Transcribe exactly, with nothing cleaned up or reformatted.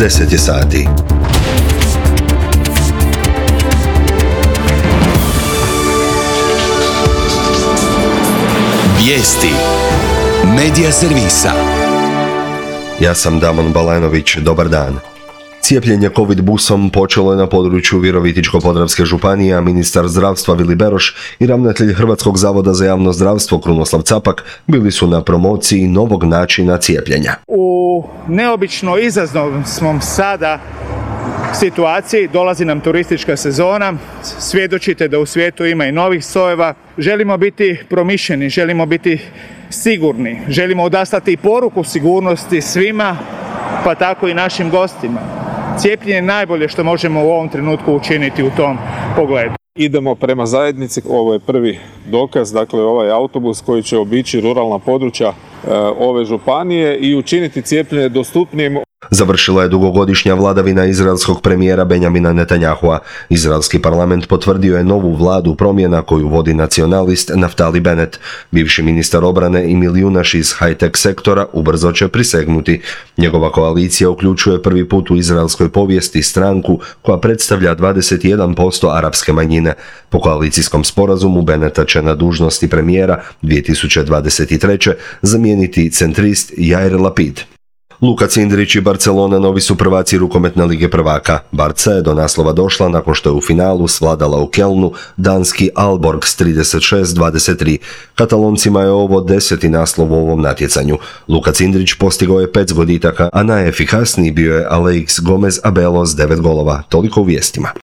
deset je sati. Vijesti Medija servisa. Ja sam Damon Balanović, dobar dan. Cijepljenje COVID busom počelo je na području Virovitičko-podravske županije, a ministar zdravstva Vili Beroš i ravnatelj Hrvatskog zavoda za javno zdravstvo Krunoslav Capak bili su na promociji novog načina cijepljenja. U neobično izazovnom sada situaciji dolazi nam turistička sezona, svjedočite da u svijetu ima i novih sojeva. Želimo biti promišljeni, želimo biti sigurni, želimo odaslati poruku sigurnosti svima, pa tako i našim gostima. Cijepljenje je najbolje što možemo u ovom trenutku učiniti u tom pogledu. Idemo prema zajednici, ovo je prvi dokaz, dakle ovaj autobus koji će obići ruralna područja e, ove županije i učiniti cijepljenje dostupnijim. Završila je dugogodišnja vladavina izraelskog premijera Benjamina Netanjahua. Izraelski parlament potvrdio je novu vladu promjena koju vodi nacionalist Naftali Bennett. Bivši ministar obrane i milijunaš iz high-tech sektora ubrzo će prisegnuti. Njegova koalicija uključuje prvi put u izraelskoj povijesti stranku koja predstavlja dvadeset jedan posto arapske manjine. Po koalicijskom sporazumu Bennetta će na dužnosti premijera dvije tisuće dvadeset treće zamijeniti centrist Jair Lapid. Luka Cindrić i Barcelona novi su prvaci rukometne lige prvaka. Barca je do naslova došla nakon što je u finalu svladala u Kelnu danski Aalborg s trideset šest dvadeset tri. Kataloncima je ovo deseti naslov u ovom natjecanju. Luka Cindrić postigao je pet zgoditaka, a najefikasniji bio je Aleix Gomez Abelo s devet golova. Toliko u vijestima.